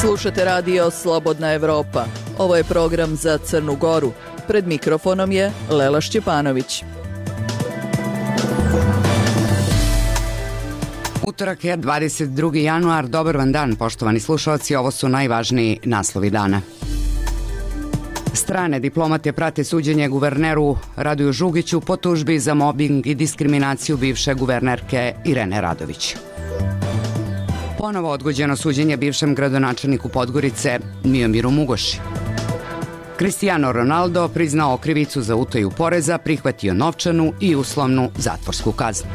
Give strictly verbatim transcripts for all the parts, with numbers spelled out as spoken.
Slušate radio Slobodna Evropa. Ovo je program za Crnu Goru. Pred mikrofonom je Lela Šćepanović. Utorak je dvadeset drugi januar. Dobar vam dan, poštovani slušalci. Ovo su najvažniji naslovi dana. Strane diplomate prate suđenje guverneru Radoju Žugiću po tužbi za mobing i diskriminaciju bivše guvernerke Irene Radović. Ponovo odgođeno suđenje bivšem gradonačelniku Podgorice Miomiru Mugoši. Cristiano Ronaldo priznao krivicu za utaju poreza, prihvatio novčanu i uslovnu zatvorsku kaznu.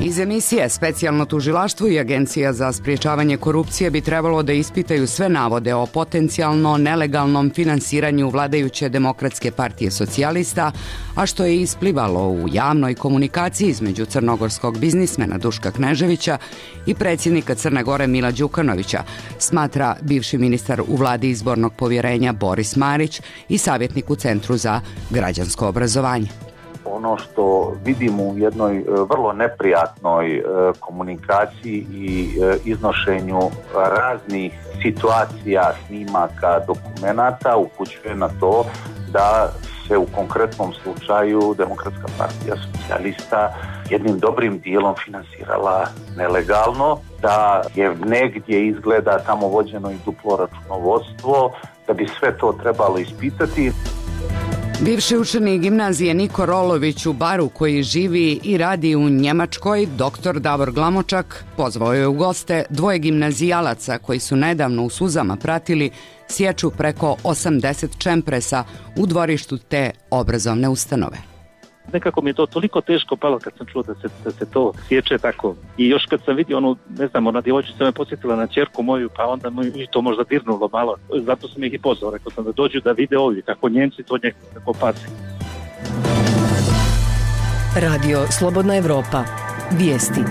Iz emisije Specijalno tužilaštvo i Agencija za sprječavanje korupcije bi trebalo da ispitaju sve navode o potencijalno nelegalnom finansiranju vladajuće Demokratske partije socijalista, a što je isplivalo u javnoj komunikaciji između crnogorskog biznismena Duška Kneževića i predsjednika Crne Gore Mila Đukanovića, smatra bivši ministar u vladi izbornog povjerenja Boris Marić i savjetnik u Centru za građansko obrazovanje. Ono što vidimo u jednoj vrlo neprijatnoj komunikaciji i iznošenju raznih situacija, snimaka, dokumenata upućuje na to da se u konkretnom slučaju Demokratska partija socijalista jednim dobrim dijelom finansirala nelegalno, da je negdje izgleda tamo vođeno i duplo računovodstvo, da bi sve to trebalo ispitati. Bivši učenik gimnazije Niko Rolović u Baru, koji živi i radi u Njemačkoj, doktor Davor Glamočak, pozvao je u goste dvoje gimnazijalaca koji su nedavno u suzama pratili sječu preko osamdeset čempresa u dvorištu te obrazovne ustanove. Nekako mi je to toliko teško palo kad sam čuo da se, da se to sječe tako. I još kad sam vidio onu, ne znam, ona djevojčica me podsjetila na ćerku moju, pa onda mi to možda dirnulo malo. Zato sam ih i pozvao, rekao sam da dođu da vide ovdje kako Njemci to nekako pasi. Radio Slobodna Evropa. Vijesti.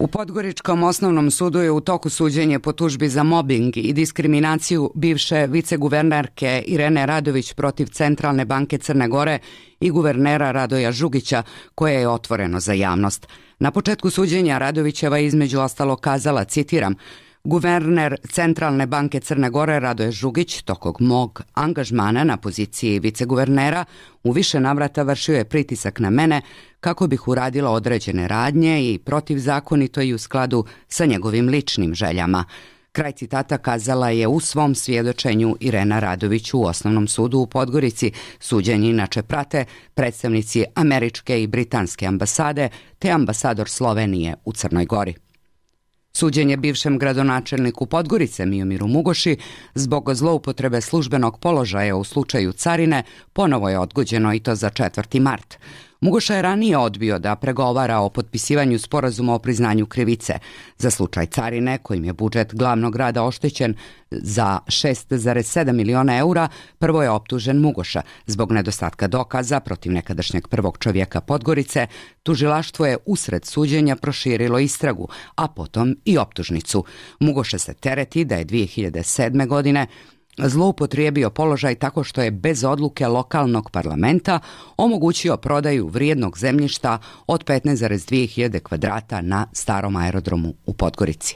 U Podgoričkom osnovnom sudu je u toku suđenje po tužbi za mobing i diskriminaciju bivše viceguvernerke Irene Radović protiv Centralne banke Crne Gore i guvernera Radoja Žugića, koje je otvoreno za javnost. Na početku suđenja Radovićeva je između ostalo kazala, citiram, guverner Centralne banke Crne Gore Radoje Žugić tokom mog angažmana na poziciji viceguvernera u više navrata vršio je pritisak na mene kako bih uradila određene radnje i protivzakonito i u skladu sa njegovim ličnim željama. Kraj citata kazala je u svom svjedočenju Irena Radović u Osnovnom sudu u Podgorici. Suđenje inače prate predstavnici američke i britanske ambasade te ambasador Slovenije u Crnoj Gori. Suđenje bivšem gradonačelniku Podgorice Miomiru Mugoši zbog zloupotrebe službenog položaja u slučaju carine ponovo je odgođeno i to za četvrti mart. Mugoša je ranije odbio da pregovara o potpisivanju sporazuma o priznanju krivice. Za slučaj carine, kojim je budžet glavnog grada oštećen za šest zarez sedam miliona eura, prvo je optužen Mugoša. Zbog nedostatka dokaza protiv nekadašnjeg prvog čovjeka Podgorice, tužilaštvo je usred suđenja proširilo istragu, a potom i optužnicu. Mugoša se tereti da je dvije hiljade sedme. godine zloupotrijebio položaj tako što je bez odluke lokalnog parlamenta omogućio prodaju vrijednog zemljišta od petnaest zarez dvije hiljade kvadrata na starom aerodromu u Podgorici.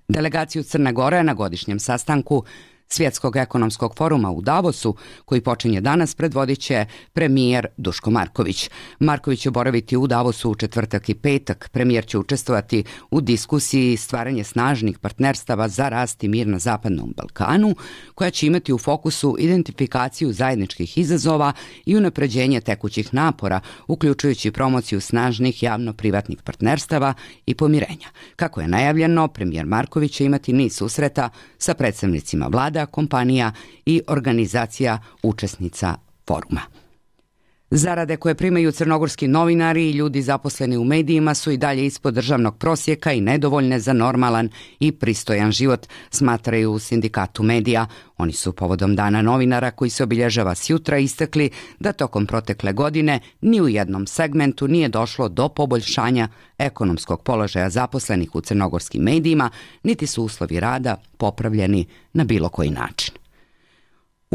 Delegaciju Crne Gore na godišnjem sastanku Svjetskog ekonomskog foruma u Davosu, koji počinje danas, predvodit će premijer Duško Marković. Marković će boraviti u Davosu u četvrtak i petak. Premijer će učestvovati u diskusiji stvaranje snažnih partnerstava za rast i mir na Zapadnom Balkanu, koja će imati u fokusu identifikaciju zajedničkih izazova i unapređenje tekućih napora, uključujući promociju snažnih javno-privatnih partnerstava i pomirenja. Kako je najavljeno, premijer Marković će imati niz susreta sa predstavnicima vlada, kompanija i organizacija učesnica foruma. Zarade koje primaju crnogorski novinari i ljudi zaposleni u medijima su i dalje ispod državnog prosjeka i nedovoljne za normalan i pristojan život, smatraju u sindikatu medija. Oni su povodom Dana novinara, koji se obilježava sjutra, istakli da tokom protekle godine ni u jednom segmentu nije došlo do poboljšanja ekonomskog položaja zaposlenih u crnogorskim medijima, niti su uslovi rada popravljeni na bilo koji način.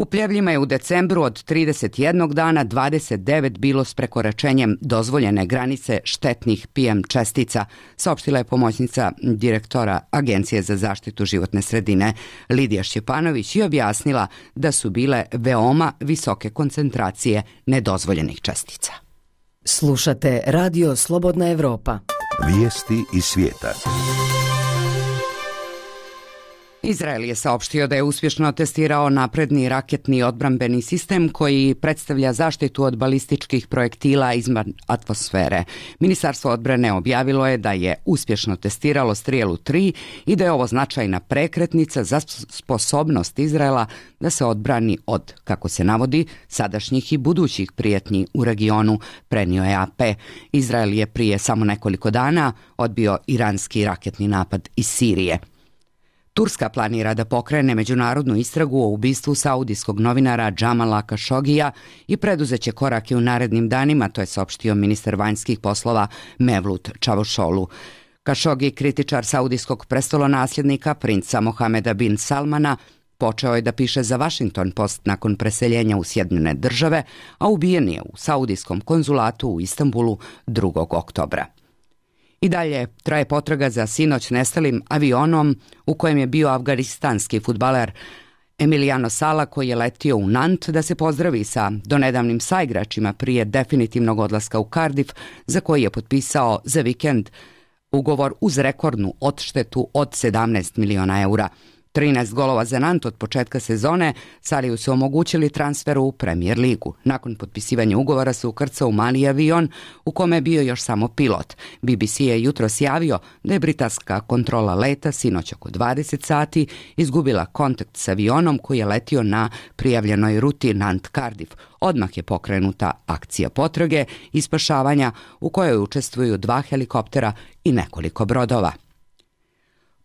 U Pljevljima je u decembru od trideset jednog dana dvadeset devet bilo s prekoračenjem dozvoljene granice štetnih P M čestica, saopštila je pomoćnica direktora Agencije za zaštitu životne sredine Lidija Šćepanović i objasnila da su bile veoma visoke koncentracije nedozvoljenih čestica. Slušate Radio Slobodna Evropa. Vijesti iz svijeta. Izrael je saopštio da je uspješno testirao napredni raketni odbrambeni sistem koji predstavlja zaštitu od balističkih projektila izvan atmosfere. Ministarstvo odbrane objavilo je da je uspješno testiralo Strijelu tri i da je ovo značajna prekretnica za sposobnost Izraela da se odbrani od, kako se navodi, sadašnjih i budućih prijetnji u regionu, prenio je A P. Izrael je prije samo nekoliko dana odbio iranski raketni napad iz Sirije. Turska planira da pokrene međunarodnu istragu o ubistvu saudijskog novinara Džamala Kašogija i preduzeće korake u narednim danima, to je saopštio ministar vanjskih poslova Mevlut Čavuşoğlu. Kašogi, kritičar saudijskog prestolonasljednika princa Mohameda bin Salmana, počeo je da piše za Washington Post nakon preseljenja u Sjedinjene države, a ubijen je u saudijskom konzulatu u Istanbulu drugog oktobra. I dalje traje potraga za sinoć nestalim avionom u kojem je bio afganistanski fudbaler Emiliano Sala, koji je letio u Nant da se pozdravi sa donedavnim saigračima prije definitivnog odlaska u Cardiff, za koji je potpisao za vikend ugovor uz rekordnu odštetu od sedamnaest miliona eura. trinaest golova za Nant od početka sezone Saliju su omogućili transfer u Premier ligu. Nakon potpisivanja ugovora se ukrcao u mali avion u kome je bio još samo pilot. B B C je jutros javio da je britanska kontrola leta sinoć oko dvadeset sati izgubila kontakt s avionom koji je letio na prijavljenoj ruti Nant-Cardiff. Odmah je pokrenuta akcija potrage i spašavanja u kojoj učestvuju dva helikoptera i nekoliko brodova.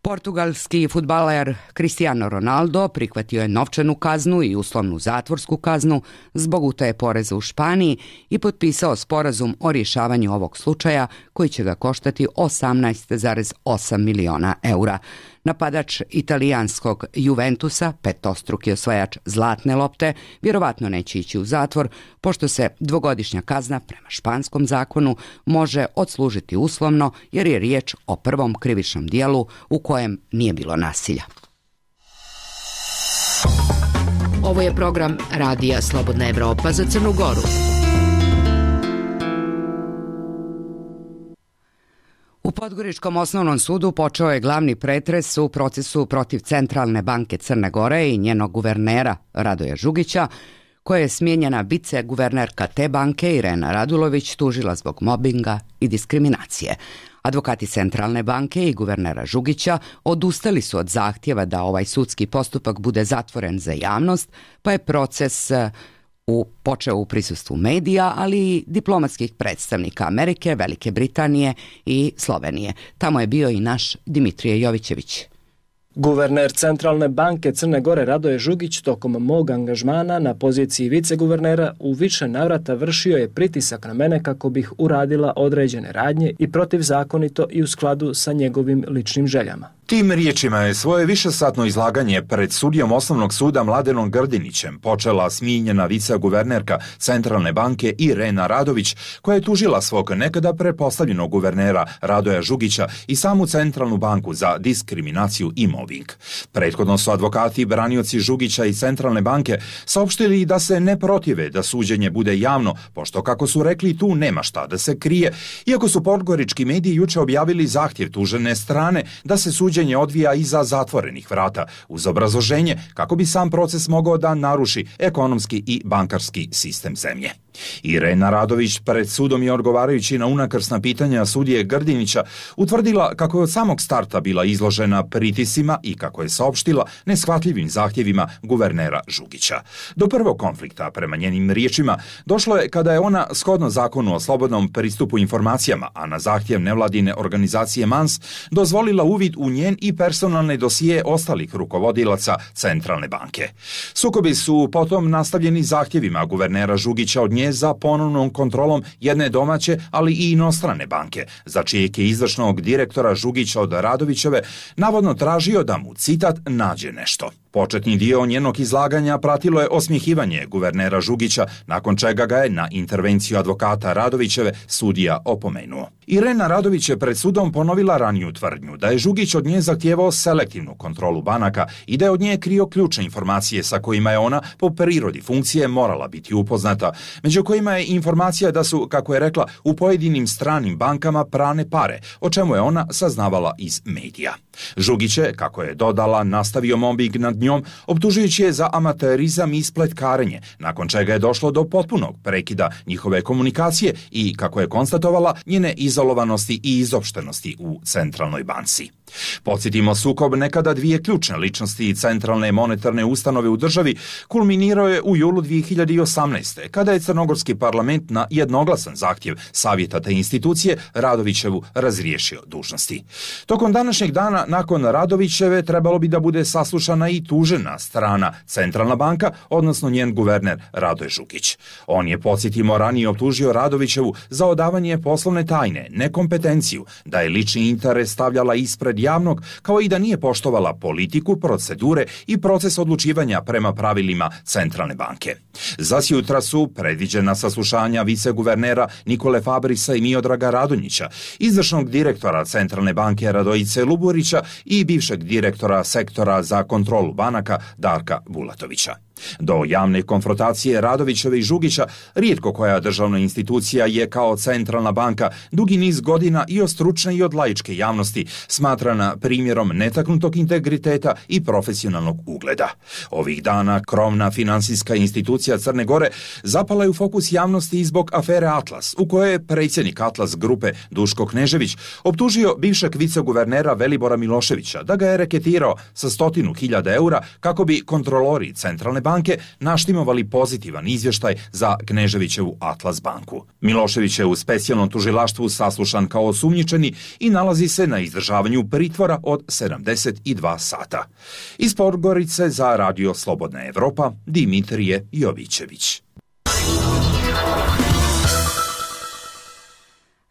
Portugalski fudbaler Cristiano Ronaldo prihvatio je novčanu kaznu i uslovnu zatvorsku kaznu zbog utaje poreza u Španiji i potpisao sporazum o rješavanju ovog slučaja koji će ga koštati osamnaest zarez osam miliona eura. Napadač italijanskog Juventusa, petostruki osvajač zlatne lopte, vjerovatno neće ići u zatvor, pošto se dvogodišnja kazna prema španskom zakonu može odslužiti uslovno jer je riječ o prvom krivičnom dijelu u kojem nije bilo nasilja. Ovo je program Radija Slobodna Evropa za Crnu Goru. U Podgoričkom osnovnom sudu počeo je glavni pretres u procesu protiv Centralne banke Crne Gore i njenog guvernera Radoja Žugića, koja je smijenjena viceguvernerka te banke Irena Radulović tužila zbog mobinga i diskriminacije. Advokati Centralne banke i guvernera Žugića odustali su od zahtjeva da ovaj sudski postupak bude zatvoren za javnost, pa je proces u, počeo u prisustvu medija, ali i diplomatskih predstavnika Amerike, Velike Britanije i Slovenije. Tamo je bio i naš Dimitrije Jovićević. Guverner Centralne banke Crne Gore Radoje Žugić tokom mog angažmana na poziciji viceguvernera u više navrata vršio je pritisak na mene kako bih uradila određene radnje i protivzakonito i u skladu sa njegovim ličnim željama. Tim riječima je svoje višesatno izlaganje pred sudijom Osnovnog suda Mladenom Grdinićem počela smijenjena viceguvernerka Centralne banke Irena Radović, koja je tužila svog nekada prepostavljenog guvernera Radoja Žugića i samu Centralnu banku za diskriminaciju i mobbing. Prethodno su advokati i branioci Žugića i Centralne banke saopštili da se ne protive da suđenje bude javno, pošto, kako su rekli, tu nema šta da se krije, iako su podgorički mediji juče objavili zahtjev tužene strane da se suđenje odvija iza zatvorenih vrata, uz obrazloženje kako bi sam proces mogao da naruši ekonomski i bankarski sistem zemlje. Irena Radović pred sudom je, odgovarajući na unakrsna pitanja sudije Grdinića, utvrdila kako je od samog starta bila izložena pritiscima i kako je saopštila neshvatljivim zahtjevima guvernera Žugića. Do prvog konflikta, prema njenim riječima, došlo je kada je ona, shodno zakonu o slobodnom pristupu informacijama, a na zahtjev nevladine organizacije Mans, dozvolila uvid u njen i personalne dosije ostalih rukovodilaca Centralne banke. Sukobi su potom nastavljeni zahtjevima guvernera Žugića od nje za ponovnom kontrolom jedne domaće, ali i inostrane banke, za čijeg je izvršnog direktora Žugića od Radovićeve navodno tražio da mu, citat, nađe nešto. Početni dio njenog izlaganja pratilo je osmjehivanje guvernera Žugića, nakon čega ga je na intervenciju advokata Radovićeve sudija opomenuo. Irena Radović je pred sudom ponovila raniju tvrdnju da je Žugić od nje zahtijevao selektivnu kontrolu banaka i da je od nje krio ključne informacije sa kojima je ona po prirodi funkcije morala biti upoznata, među kojima je informacija da su, kako je rekla, u pojedinim stranim bankama prane pare, o čemu je ona saznavala iz medija. Žugić je, kako je dodala, nastavio mobbing nad njom, optužujući je za amaterizam i spletkarenje, nakon čega je došlo do potpunog prekida njihove komunikacije i, kako je konstatovala, njene izolovanosti i izopštenosti u centralnoj banci. Podsjetimo, sukob nekada dvije ključne ličnosti centralne monetarne ustanove u državi kulminirao je u julu dvije hiljade osamnaeste. kada je crnogorski parlament na jednoglasan zahtjev savjeta te institucije Radovićevu razriješio dužnosti. Tokom današnjeg dana nakon Radovićeve trebalo bi da bude saslušana i tužena strana Centralna banka, odnosno njen guverner Radoje Žugić. On je, podsjetimo, ranije optužio Radovićevu za odavanje poslovne tajne, nekompetenciju, da je lični interes stavljala ispred javnog, kao i da nije poštovala politiku, procedure i proces odlučivanja prema pravilima Centralne banke. Zasjutra su predviđena saslušanja viceguvernera Nikole Fabrisa i Miodraga Radonjića, izvršnog direktora Centralne banke Radojice Luburića i bivšeg direktora sektora za kontrolu banaka Darka Bulatovića. Do javne konfrontacije Radovićeve i Žugića rijetko koja državna institucija je kao Centralna banka dugi niz godina i od stručne i od laičke javnosti smatrana primjerom netaknutog integriteta i profesionalnog ugleda. Ovih dana krovna financijska institucija Crne Gore zapala je u fokus javnosti i zbog afere Atlas, u kojoj je predsjednik Atlas grupe Duško Knežević optužio bivšeg viceguvernera Velibora Miloševića da ga je reketirao sa stotinu hiljada eura kako bi kontrolori Centralne banke naštimovali pozitivan izvještaj za Kneževićevu Atlas banku. Milošević je u specijalnom tužilaštvu saslušan kao osumnjičeni i nalazi se na izdržavanju pritvora od sedamdeset dva sata. Iz Podgorice za Radio Slobodna Evropa, Dimitrije Jovićević.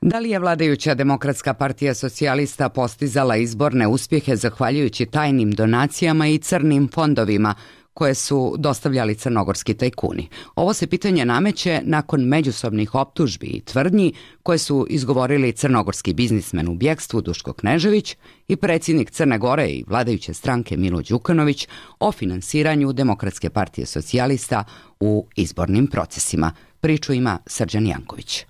Da li je vladajuća Demokratska partija socijalista postizala izborne uspjehe zahvaljujući tajnim donacijama i crnim fondovima koje su dostavljali crnogorski tajkuni? Ovo se pitanje nameće nakon međusobnih optužbi i tvrdnji koje su izgovorili crnogorski biznismen u bjekstvu Duško Knežević i predsjednik Crne Gore i vladajuće stranke Milo Đukanović o finansiranju Demokratske partije socijalista u izbornim procesima. Priču ima Srđan Janković.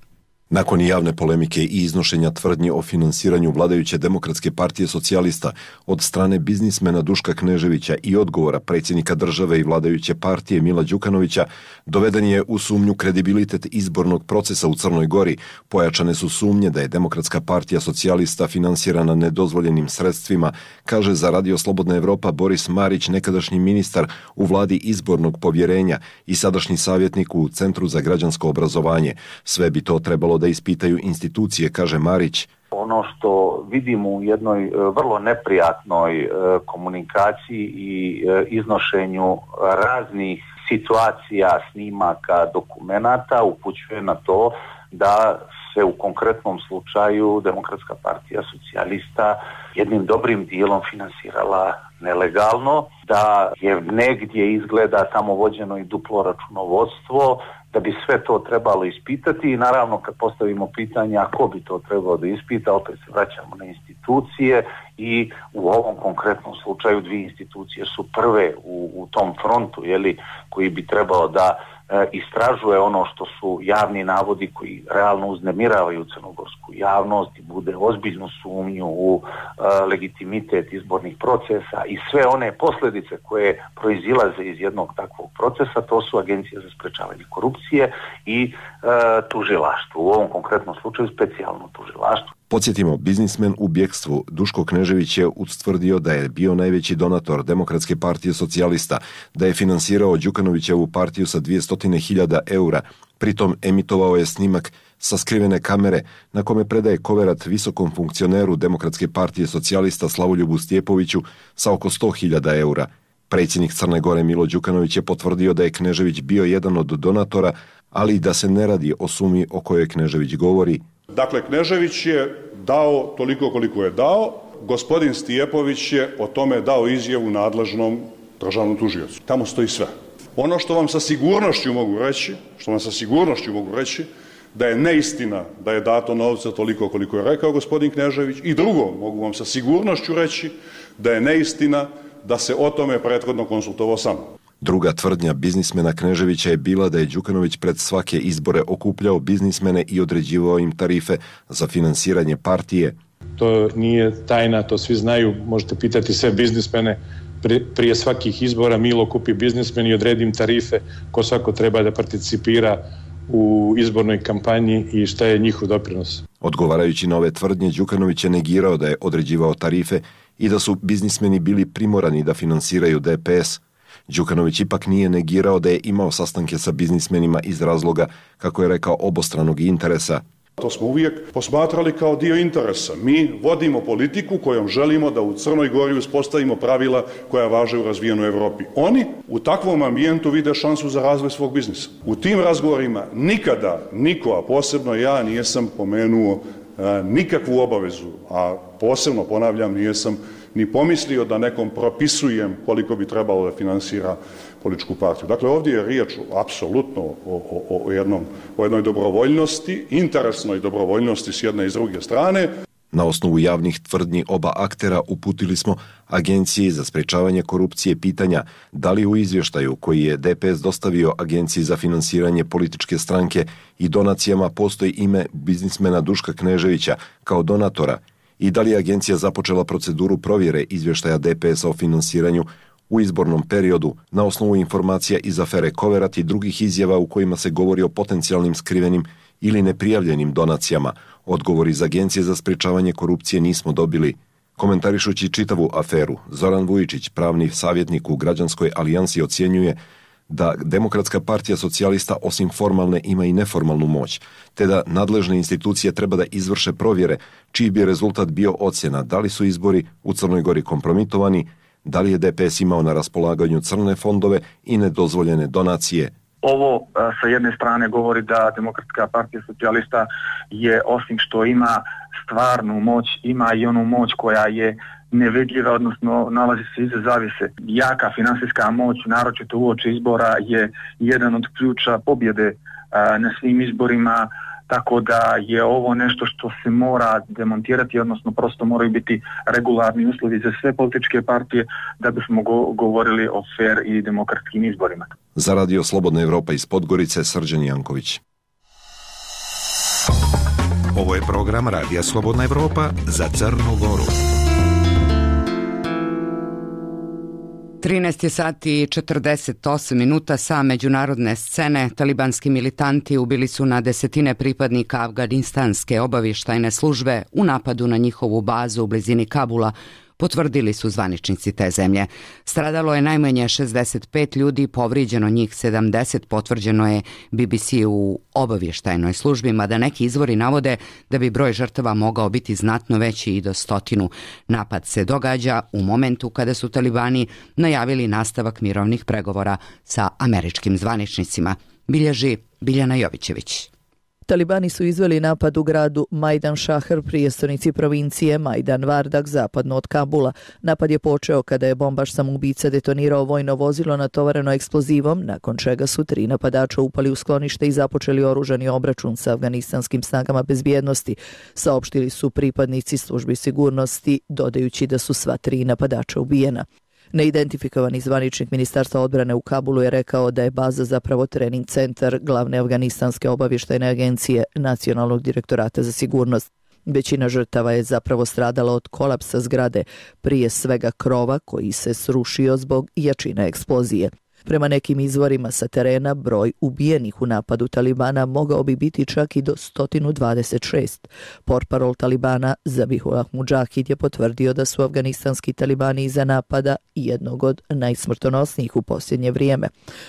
Nakon javne polemike i iznošenja tvrdnji o finansiranju vladajuće Demokratske partije socijalista od strane biznismena Duška Kneževića i odgovora predsjednika države i vladajuće partije Mila Đukanovića, doveden je u sumnju kredibilitet izbornog procesa u Crnoj Gori. Pojačane su sumnje da je Demokratska partija socijalista finansirana nedozvoljenim sredstvima, kaže za Radio Slobodna Evropa Boris Marić, nekadašnji ministar u vladi izbornog povjerenja i sadašnji savjetnik u Centru za građansko obrazovanje. Sve bi to trebalo da ispitaju institucije, kaže Marić. Ono što vidimo u jednoj vrlo neprijatnoj komunikaciji i iznošenju raznih situacija, snimaka, dokumenata upućuje na to da se u konkretnom slučaju Demokratska partija socijalista jednim dobrim dijelom finansirala nelegalno, da je negdje izgleda tamo vođeno i duplo računovodstvo, da bi sve to trebalo ispitati i naravno kad postavimo pitanje a ko bi to trebalo da ispita, opet se vraćamo na institucije i u ovom konkretnom slučaju dvije institucije su prve u, u tom frontu, jeli, koji bi trebalo da e, istražuje ono što su javni navodi koji realno uznemiravaju crnogorsku javnost i bude ozbiljnu sumnju u e, legitimitet izbornih procesa i sve one posljedice koje proizilaze iz jednog takvog procesa, to su Agencija za sprečavanje korupcije i e, tužilaštvo. U ovom konkretnom slučaju specijalno tužilaštvo. Podsjetimo, biznismen u bjekstvu Duško Knežević je ustvrdio da je bio najveći donator Demokratske partije socijalista, da je finansirao Đukanovićevu partiju sa dvjesto hiljada eura, pritom emitovao je snimak sa skrivene kamere na kome predaje koverat visokom funkcioneru Demokratske partije socijalista Slavoljubu Stjepoviću sa oko sto hiljada eura. Predsjednik Crne Gore Milo Đukanović je potvrdio da je Knežević bio jedan od donatora, ali i da se ne radi o sumi o kojoj Knežević govori. Dakle, Knežević je dao toliko koliko je dao, gospodin Stjepović je o tome dao izjavu nadležnom državnom tužiocu. Tamo stoji sve. Ono što vam sa sigurnošću mogu reći, što vam sa sigurnošću mogu reći, da je neistina da je dato novca toliko koliko je rekao gospodin Knežević, i drugo, mogu vam sa sigurnošću reći da je neistina da se o tome prethodno konsultovao sa mnom. Druga tvrdnja biznismena Kneževića je bila da je Đukanović pred svake izbore okupljao biznismene i određivao im tarife za finansiranje partije. To nije tajna, to svi znaju, možete pitati sve biznismene. Prije svakih izbora Milo kupi biznismen i odredi im tarife ko svako treba da participira u izbornoj kampanji i šta je njihov doprinos. Odgovarajući na ove tvrdnje, Đukanović je negirao da je određivao tarife i da su biznismeni bili primorani da finansiraju D P S. Đukanović ipak nije negirao da je imao sastanke sa biznismenima iz razloga, kako je rekao, obostranog interesa. To smo uvijek posmatrali kao dio interesa. Mi vodimo politiku kojom želimo da u Crnoj Gori uspostavimo pravila koja važe u razvijenoj Evropi. Oni u takvom ambijentu vide šansu za razvoj svog biznisa. U tim razgovorima nikada niko, a posebno ja, nisam pomenuo a, nikakvu obavezu, a posebno, ponavljam, nisam ni pomislio da nekom propisujem koliko bi trebalo da finansira političku partiju. Dakle, ovdje je riječ apsolutno o, o, o, jednom, o jednoj dobrovoljnosti, interesnoj dobrovoljnosti s jedne i s druge strane. Na osnovu javnih tvrdnji oba aktera uputili smo Agenciji za sprečavanje korupcije pitanja da li u izvještaju koji je D P S dostavio Agenciji za finansiranje političke stranke i donacijama postoji ime biznismena Duška Kneževića kao donatora i da li je agencija započela proceduru provjere izvještaja D P S-a o finansiranju u izbornom periodu na osnovu informacija iz afere Koverat i drugih izjava u kojima se govori o potencijalnim skrivenim ili neprijavljenim donacijama. Odgovor iz Agencije za sprečavanje korupcije nismo dobili. Komentarišući čitavu aferu, Zoran Vujičić, pravni savjetnik u Građanskoj alijansi, ocjenjuje da Demokratska partija socijalista osim formalne ima i neformalnu moć, te da nadležne institucije treba da izvrše provjere čiji bi rezultat bio ocjena da li su izbori u Crnoj Gori kompromitovani, da li je D P S imao na raspolaganju crne fondove i nedozvoljene donacije. Ovo sa jedne strane govori da Demokratska partija socijalista je, osim što ima stvarnu moć, ima i onu moć koja je nevidljiva, odnosno nalazi se iza zavjese. Jaka finansijska moć, naročito uoči izbora, je jedan od ključa pobjede na svim izborima, tako da je ovo nešto što se mora demontirati, odnosno prosto moraju biti regularni uslovi za sve političke partije da bismo go- govorili o fer i demokratskim izborima. Za Radio Slobodna Evropa iz Podgorice, Srđan Janković. Ovo je program Radija Slobodna Evropa za Crnu Goru. trinaest je sati i četrdeset osam minuta. Sa međunarodne scene talibanski militanti ubili su na desetine pripadnika afganistanske obavještajne službe u napadu na njihovu bazu u blizini Kabula, potvrdili su zvaničnici te zemlje. Stradalo je najmanje šezdeset pet ljudi, povrijeđeno njih sedamdeset, potvrđeno je B B C u obavještajnoj službi, mada neki izvori navode da bi broj žrtava mogao biti znatno veći i do stotinu. Napad se događa u momentu kada su talibani najavili nastavak mirovnih pregovora sa američkim zvaničnicima. Bilježi Biljana Jovićević. Talibani su izveli napad u gradu Majdan Šahr, prijestolnici provincije Majdan Vardak, zapadno od Kabula. Napad je počeo kada je bombaš samoubica detonirao vojno vozilo natovareno eksplozivom, nakon čega su tri napadača upali u sklonište i započeli oružani obračun sa afganistanskim snagama bezbjednosti, saopštili su pripadnici službi sigurnosti, dodajući da su sva tri napadača ubijena. Neidentifikovani zvaničnik Ministarstva odbrane u Kabulu je rekao da je baza zapravo trening centar glavne afganistanske obavještajne agencije Nacionalnog direktorata za sigurnost. Većina žrtava je zapravo stradala od kolapsa zgrade, prije svega krova koji se srušio zbog jačine eksplozije. Prema nekim izvorima sa terena, broj ubijenih u napadu Talibana mogao bi biti čak i do sto dvadeset šest. Portparol Talibana Zabihullah Mudžahid je potvrdio da su afganistanski talibani iza napada jednog od najsmrtonosnijih u posljednje vrijeme.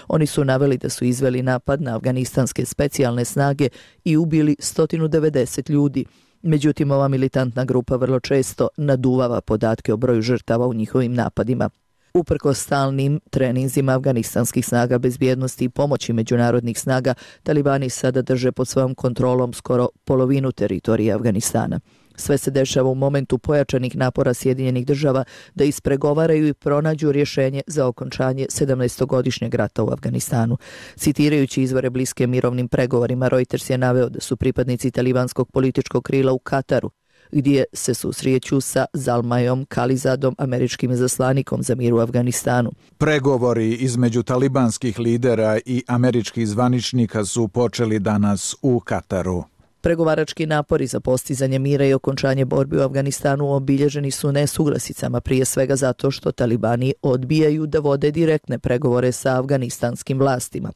Oni su naveli da su izveli napad na afganistanske specijalne snage i ubili sto devedeset ljudi. Međutim, ova militantna grupa vrlo često naduvava podatke o broju žrtava u njihovim napadima. Uprkos stalnim treninzima afganistanskih snaga bezbjednosti i pomoći međunarodnih snaga, talibani sada drže pod svojom kontrolom skoro polovinu teritorije Afganistana. Sve se dešava u momentu pojačanih napora Sjedinjenih država da ispregovaraju i pronađu rješenje za okončanje sedamnaestogodišnjeg rata u Afganistanu. Citirajući izvore bliske mirovnim pregovorima, Reuters je naveo da su pripadnici talibanskog političkog krila u Kataru, gdje se susreću sa Zalmajom Kalizadom, američkim izaslanikom za mir u Afganistanu. Pregovori između talibanskih lidera i američkih zvaničnika su počeli danas u Kataru. Pregovarački napori za postizanje mira i okončanje borbi u Afganistanu obilježeni su nesuglasicama, prije svega zato što talibani odbijaju da vode direktne pregovore sa afganistanskim vlastima.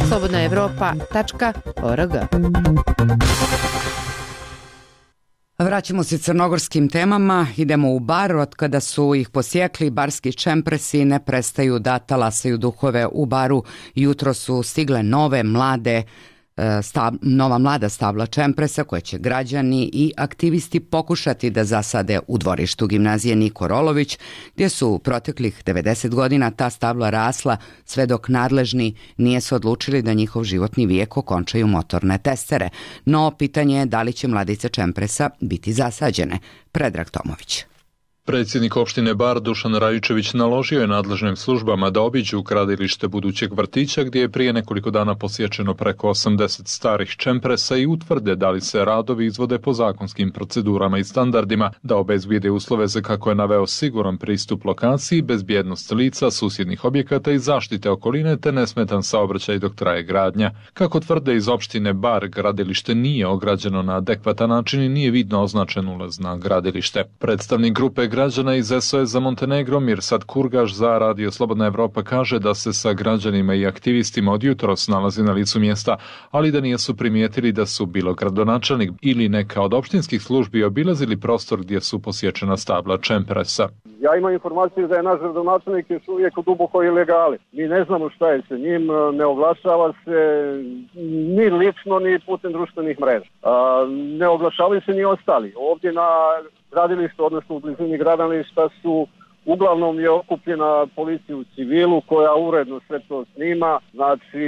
slobodna evropa tačka org. Vraćamo se crnogorskim temama, idemo u bar. Od kada su ih posjekli, barski čempresi ne prestaju da talasaju duhove u baru. Jutro su stigle nove mlade Stab, nova mlada stabla čempresa koje će građani i aktivisti pokušati da zasade u dvorištu gimnazije Niko Rolović, gdje su u proteklih devedeset godina ta stabla rasla sve dok nadležni nije se odlučili da njihov životni vijek okončaju motorne testere. No, pitanje je da li će mladice čempresa biti zasađene. Predrag Tomović. Predsjednik opštine Bar Dušan Rajičević naložio je nadležnim službama da obiđu gradilište budućeg vrtića gdje je prije nekoliko dana posječeno preko osamdeset starih čempresa i utvrde da li se radovi izvode po zakonskim procedurama i standardima, da obezbijede uslove za, kako je naveo, siguran pristup lokaciji, bezbjednost lica, susjednih objekata i zaštite okoline te nesmetan saobraćaj dok traje gradnja. Kako tvrde iz opštine Bar, gradilište nije ograđeno na adekvatan način i nije vidno označen ulaz na gradilište. Predstavnik grupe građana iz S O S za Montenegro Mirsad Kurgaš za Radio Slobodna Evropa kaže da se sa građanima i aktivistima od jutros nalazi na licu mjesta, ali da nisu primijetili da su bilo gradonačelnik ili neka od opštinskih službi obilazili prostor gdje su posječena stabla čempresa. Ja imam informaciju da je naš gradonačelnik još uvijek u dubokoj ilegali. Mi ne znamo šta je se njim, ne oglašava se ni lično ni putem društvenih mreža. Ne oglašavaju se ni ostali. Ovdje na gradilištu, odnosno u blizini gradilišta su uglavnom je okupljena policija u civilu koja uredno sve to snima. Znači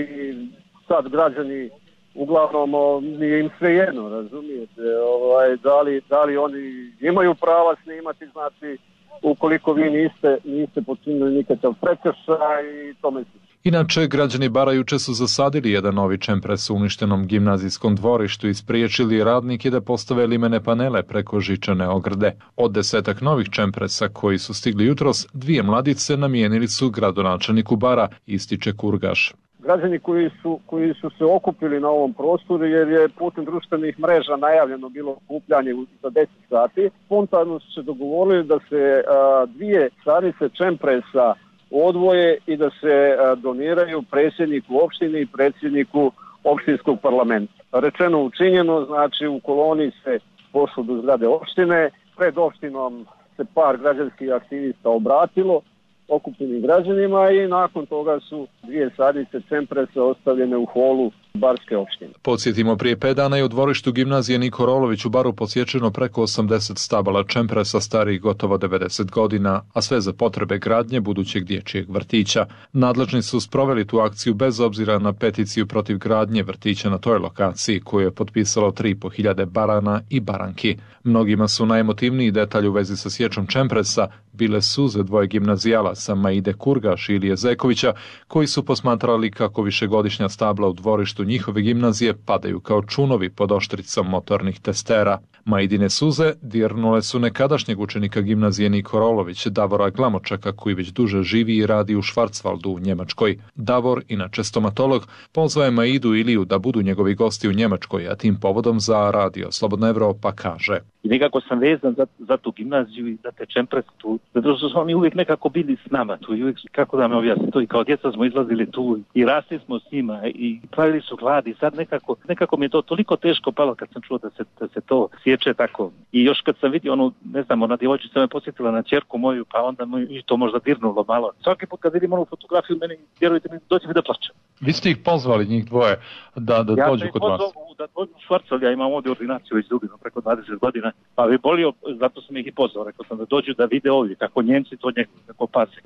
sad građani uglavnom nije im sve jedno, razumijete, ovaj, da, li, da li oni imaju prava snimati, znači ukoliko vi niste, niste počinili nikakav prekršaj i tome slično. Inače, građani Bara juče su zasadili jedan novi čempres u uništenom gimnazijskom dvorištu i spriječili radnike da postave limene panele preko žičane ograde. Od desetak novih čempresa koji su stigli jutros, dvije mladice namijenili su gradonačelniku Bara, ističe Kurgaš. Građani koji su, koji su se okupili na ovom prostoru jer je putem društvenih mreža najavljeno bilo okupljanje za deset sati, spontano su se dogovorili da se a, dvije stanice čempresa odvoje i da se a, doniraju predsjedniku opštine i predsjedniku opštinskog parlamenta. Rečeno učinjeno, znači u koloni se pošlo do zgrade opštine, pred opštinom se par građanskih aktivista obratilo okupljenim građanima i nakon toga su dvije sadice čempresa ostavljene u holu barske opštine. Podsjetimo, prije pet dana je u dvorištu gimnazije Niko Rolović u Baru posječeno preko osamdeset stabala čempresa starih gotovo devedeset godina, a sve za potrebe gradnje budućeg dječjeg vrtića. Nadležni su sproveli tu akciju bez obzira na peticiju protiv gradnje vrtića na toj lokaciji koju je potpisalo tri i po hiljade barana i baranki. Mnogima su najemotivniji detalj u vezi sa sječom čempresa bile suze dvoje gimnazijalaca Maide Kurgaš i Ilije Zekovića, koji su posmatrali kako višegodišnja stabla u dvorištu njihove gimnazije padaju kao čunovi pod oštricom motornih testera. Maidine suze dirnule su nekadašnjeg učenika gimnazije Niko Rolović, Davora Glamočaka, koji već duže živi i radi u Švarcvaldu u Njemačkoj. Davor, inače stomatolog, pozvao je Maidu i Iliju da budu njegovi gosti u Njemačkoj, a tim povodom za Radio Slobodna Evropa kaže: I nekako sam vezan za, za tu gimnaziju i za te čemprese tu, zato što su oni uvijek nekako bili s nama tu i uvijek, kako da me objasnim, to i kao djeca smo izlazili tu i rasli smo s njima i pravili su gladi. Sad nekako, nekako mi je to toliko teško palo kad sam čuo da se, da se to sječe tako. I još kad sam vidio onu, ne znam, ona djevojčica me posjetila na ćerku moju, pa onda mi to možda dirnulo malo. Svaki put kad vidim onu fotografiju, meni, vjerujte mi, dođe mi da plačem. Vi ste ih pozvali, njih dvoje, da, da ja dođu kod vas? Ja da dođu u Švarcvaldu, ja imam ovdje ordinaciju već dugo, preko dvadeset godina. godina, pa bi bolio, zato sam ih i pozvao, rekao sam da dođu da vide ovdje, kako Njemci to njegu, kako pase.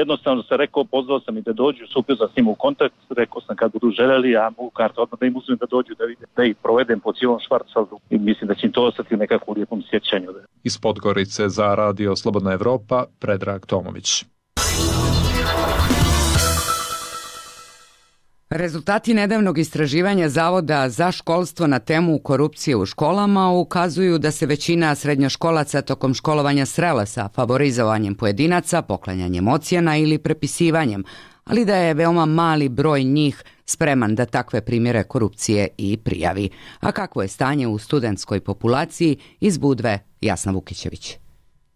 Jednostavno se rekao, pozvao sam i da dođu, stupio sam s njim u kontakt, rekao sam kad budu željeli, ja mogu kartu odmah da im uzmem da dođu da vide, da ih provedem po cijelom Švarcvaldu i mislim da će im to ostati nekako u lijepom sjećanju. Iz Podgorice za Radio Slobodna Evropa, Predrag Tomović. Rezultati nedavnog istraživanja Zavoda za školstvo na temu korupcije u školama ukazuju da se većina srednjoškolaca tokom školovanja srela sa favorizovanjem pojedinaca, poklanjanjem ocjena ili prepisivanjem, ali da je veoma mali broj njih spreman da takve primjere korupcije i prijavi. A kakvo je stanje u studentskoj populaciji, iz Budve Jasna Vukićević.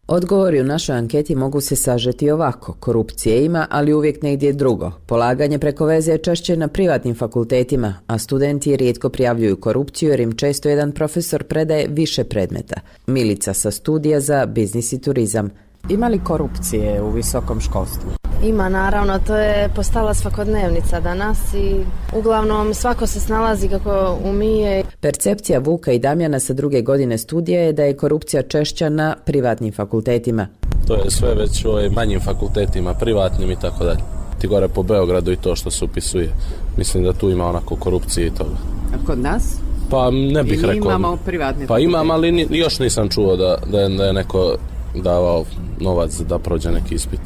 Odgovori u našoj anketi mogu se sažeti ovako. Korupcije ima, ali uvijek negdje drugo. Polaganje preko veze je češće na privatnim fakultetima, a studenti rijetko prijavljuju korupciju jer im često jedan profesor predaje više predmeta. Milica sa studija za biznis i turizam. Ima li korupcije u visokom školstvu? Ima, naravno, to je postala svakodnevnica danas i uglavnom svako se snalazi kako umije. Percepcija Vuka i Damjana sa druge godine studija je da je korupcija češća na privatnim fakultetima. To je sve već u ovim manjim fakultetima, privatnim i tako dalje. Ti gore po Beogradu i to što se upisuje. Mislim da tu ima onako korupcije i toga. A kod nas? Pa ne bih I rekao. Imamo privatne Pa fakultete. Imam, ali ni, još nisam čuo da, da, je, da je neko davao novac da prođe neki ispit.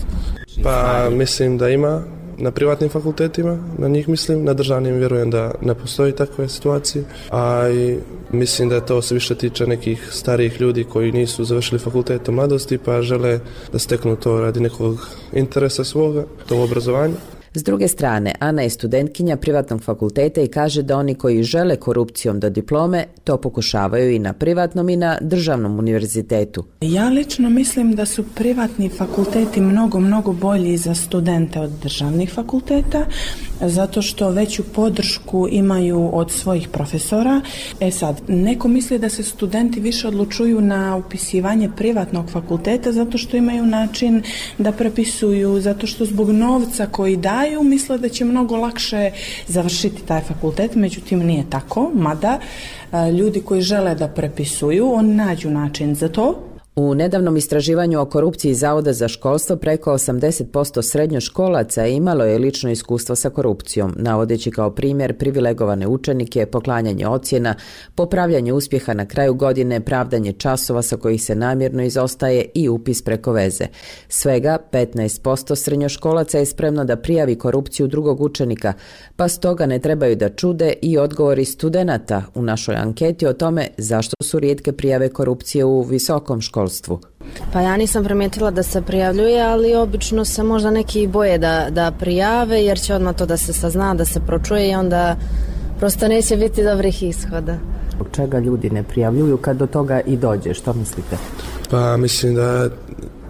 Pa mislim da ima na privatnim fakultetima, na njih mislim, na državnim vjerujem da ne postoji takve situacije, a i mislim da to se više tiče nekih starijih ljudi koji nisu završili fakultet u mladosti pa žele da steknu to radi nekog interesa svoga, to obrazovanje. S druge strane, Ana je studentkinja privatnog fakulteta i kaže da oni koji žele korupcijom do diplome to pokušavaju i na privatnom i na državnom univerzitetu. Ja lično mislim da su privatni fakulteti mnogo, mnogo bolji za studente od državnih fakulteta, zato što veću podršku imaju od svojih profesora. E sad, neko misli da se studenti više odlučuju na upisivanje privatnog fakulteta zato što imaju način da prepisuju, zato što zbog novca koji daju misle da će mnogo lakše završiti taj fakultet, međutim nije tako, mada ljudi koji žele da prepisuju, oni nađu način za to. U nedavnom istraživanju o korupciji Zavoda za školstvo preko osamdeset posto srednjoškolaca imalo je lično iskustvo sa korupcijom, navodeći kao primjer privilegovane učenike, poklanjanje ocjena, popravljanje uspjeha na kraju godine, pravdanje časova sa kojih se namjerno izostaje i upis preko veze. Svega petnaest posto srednjoškolaca je spremno da prijavi korupciju drugog učenika, pa stoga ne trebaju da čude i odgovori studenata u našoj anketi o tome zašto su rijetke prijave korupcije u visokom školstvu. Pa ja nisam primijetila da se prijavljuje, ali obično se možda neki boje da, da prijave jer će odmah to da se sazna, da se pročuje i onda prosto neće biti dobrih ishoda. Zbog čega ljudi ne prijavljuju kad do toga i dođe, što mislite? Pa mislim da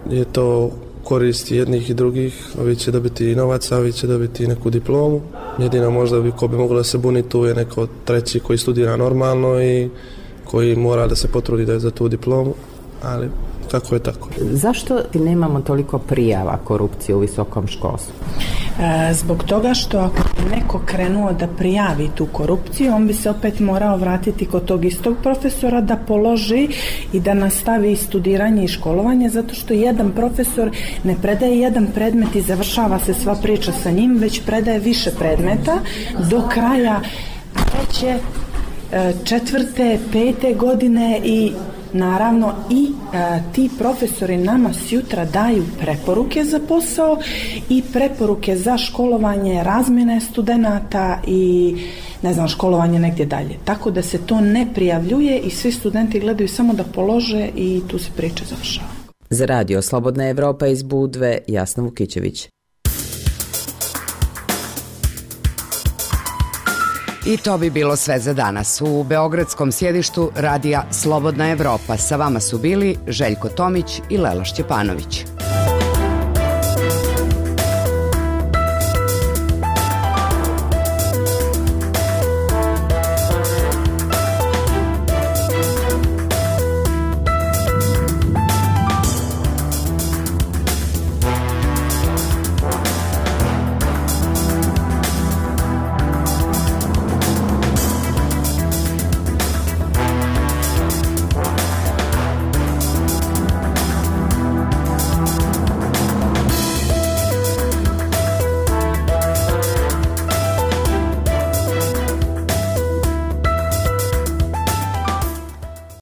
je to korist jednih i drugih, ovi će dobiti novac, a ovi će dobiti neku diplomu. Jedino možda bi ko bi moglo da se buni tu je neko treći koji studira normalno i koji mora da se potrudi da je za tu diplomu. Ali tako je tako. Zašto nemamo toliko prijava korupcije u visokom školstvu? E, zbog toga što ako bi neko krenuo da prijavi tu korupciju, on bi se opet morao vratiti kod tog istog profesora da položi i da nastavi studiranje i školovanje, zato što jedan profesor ne predaje jedan predmet i završava se sva priča sa njim, već predaje više predmeta do kraja treće, četvrte, pete godine i naravno i e, ti profesori nama sjutra daju preporuke za posao i preporuke za školovanje, razmjene studenata i ne znam, školovanje negdje dalje. Tako da se to ne prijavljuje i svi studenti gledaju samo da polože i tu se priča završava. Za Radio Slobodna Evropa iz Budve, Jasna Vukićević. I to bi bilo sve za danas. U beogradskom sjedištu Radija Slobodna Evropa sa vama su bili Željko Tomić i Lela Šćepanović.